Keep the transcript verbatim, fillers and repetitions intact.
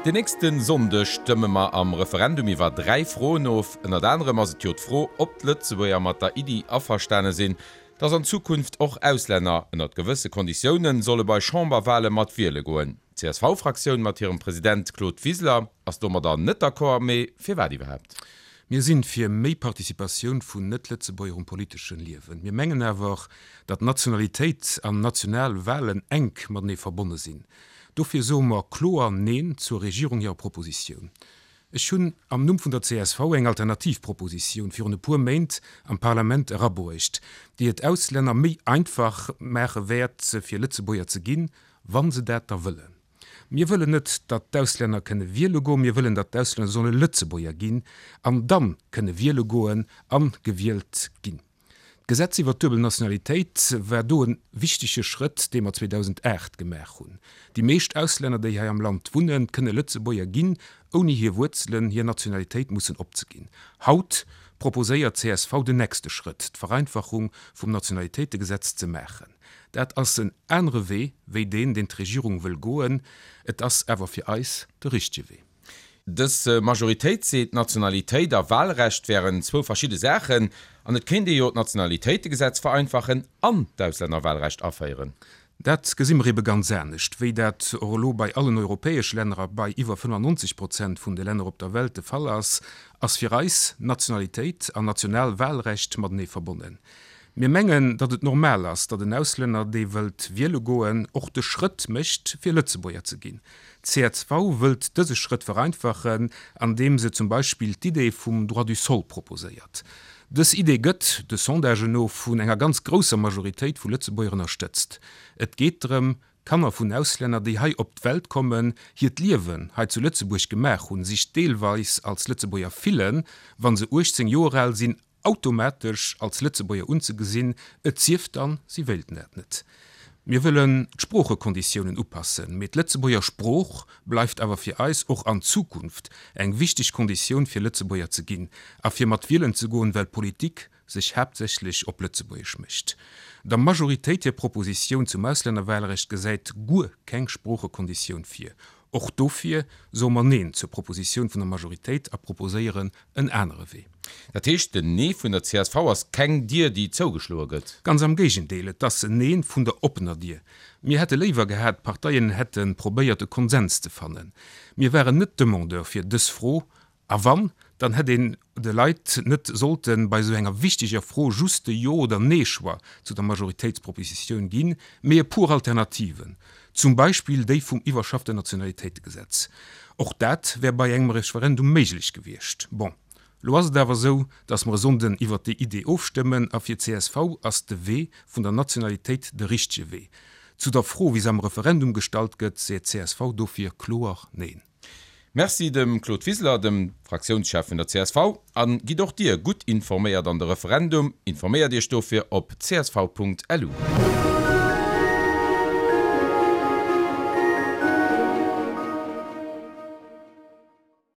Den nächste Sonndeg stëmme mer am Referendum iwwer dräi Froen of. Ënnert anerem ass et jo d'Fro, ob d'Lëtzebuerger mat der Iddi averstane sinn, dass an Zukunft och Auslänner ënnert gewësse Konditiounen solle bei Chamberwale mat wiele goen. D'CSV-Fraktioun mat hirem President Claude Wiseler ass domadder net d'accord, mee firwat iwwerhaapt? Mir sinn fir méi Participatioun vun Net-Lëtzebuerger um politeschen Liewen. Mir mengen awer, datt Nationalitéit an national Walen enk matenee verbonne sinn. Dofir soe mer kloer Neen zur Regierung hirer Propositioun. Ech hunn am Numm vun der csv eng alternativ Propositioun virun e puer Méint am Parlament erabruecht, déi et Auslänner méi einfach maache wäert, fir Lëtzebuerger ze ginn, wa se dat da wëllen. Mir wëllen net, datt d'Auslänner kënne wiele goen, mir wëllen, datt d'Auslänner solle Lëtzebuerger ginn an dann kënne wiele goen a gewielt ginn. D'Gesetz iwwer d'duebel Nationalitéit war do e wichtege Schrëtt, dee mer zweedausendacht gemaach hunn. Déi meescht Auslänner, déi hei am Land wunnen, kënne Lëtzebuerger ginn, ouni hir Wuerzelen, hir Nationalitéit mussen opzeginn. Haut proposéiert csv den nächste Schrëtt, d'Vereinfachung vum Nationalitéitegesetz ze maachen. Dat ass en anere Wee wéi deen, deen d'Regierung wëll goen. Et ass awer fir eis de richtege Wee. Dës Majoritéit seet, Nationalitéit a Wahlrecht wären zwou verschidde Saachen an et kéint ee jo d'Nationalitéitegesetz vereinfachen an d'Auslännerwahlrecht aféieren. Dat gesi mer ebe ganz anescht. Wéi dat och elo bei allen europäesch Länner a bei iwwer fënnefannonzeg Prozent vun de Länner op der Welt de Fall ass, ass fir eis Nationalitéit an national Wahlrecht matenee verbonnen. Mir mengen, datt et normal ass, datt en Auslänner, dee wëllt wiele goen, och de Schrëtt mécht, fir Lëtzebuerger ze ginn. Csv wëllt dëse Schrëtt vereinfachen, andeem se zum Beispill d'Idee vum Droit du sol proposéiert. Dës Idee gëtt, de Sondagen no, vun enger ganz grousser Majoritéit vu Lëtzebuerger ënnerstëtzt. Et geet drëm, Kanner vun Auslänner, déi hei op d'Welt kommen, hiert Liewen hei zu Lëtzebuerg gemaach hunn, sech deelweis als Lëtzebuerger fillen, wa se uechtzéng Joer al sinn, automatesch als Lëtzebuerger unzegesinn, et sief dann, si wéilten dat net. Mir wëllen d'Sproochekonditiounen upassen, mee d'Lëtzebuerger Sprooch bleift awer fir eis och an Zukunft eng wichteg Konditioun fir Lëtzebuerger ze ginn a fir mat wielen ze goen, well Politik sech haaptsächlech op Lëtzebuergesch mécht. Der Majoritéit hir Propositioun zum Auslännerwahlrecht gesäit guer keng Sproochekonditioun vir. Och dofir soe mer Neen zur Propositioun vun der Majoritéit a proposéieren en anere Wee. Dat heescht, den Nee vun der csv ass keng Dier, déi zougeschloe gëtt? Ganz am Géigendeel, et ass en Neen vun der oppener Dier. Mir hätte léiwer gehat, d'Parteien hätte probéiert e Konsens ze fannen. Mir waren net Demandeur fir dës Fro A wann, dann hätt een de Leit net sollte bei esou enger wichteger Fro just de Jo oder Nee-Choix zu der Majoritéitspropositioun ginn, mee e puer Alternativen, zum Beispill déi vum iwwerschafften Nationalitéitegesetz. Och dat wär bei engem Referendum méiglech gewiescht. Bon, lo ass et awer esou, datt mer e Sonnden iwwert déi Idee ofstëmmen, a fir csv ass de Wee vun der Nationalitéit de richtege Wee. Zu der Fro, wéi se am Referendum gestallt gëtt, seet csv dofir kloer Neen. Merci dem Claude Wiseler, dem Fraktiounschef vun der csv. A gitt och Dir gutt informéiert an de Referendum. Informéiert Iech dofir op csv.lu.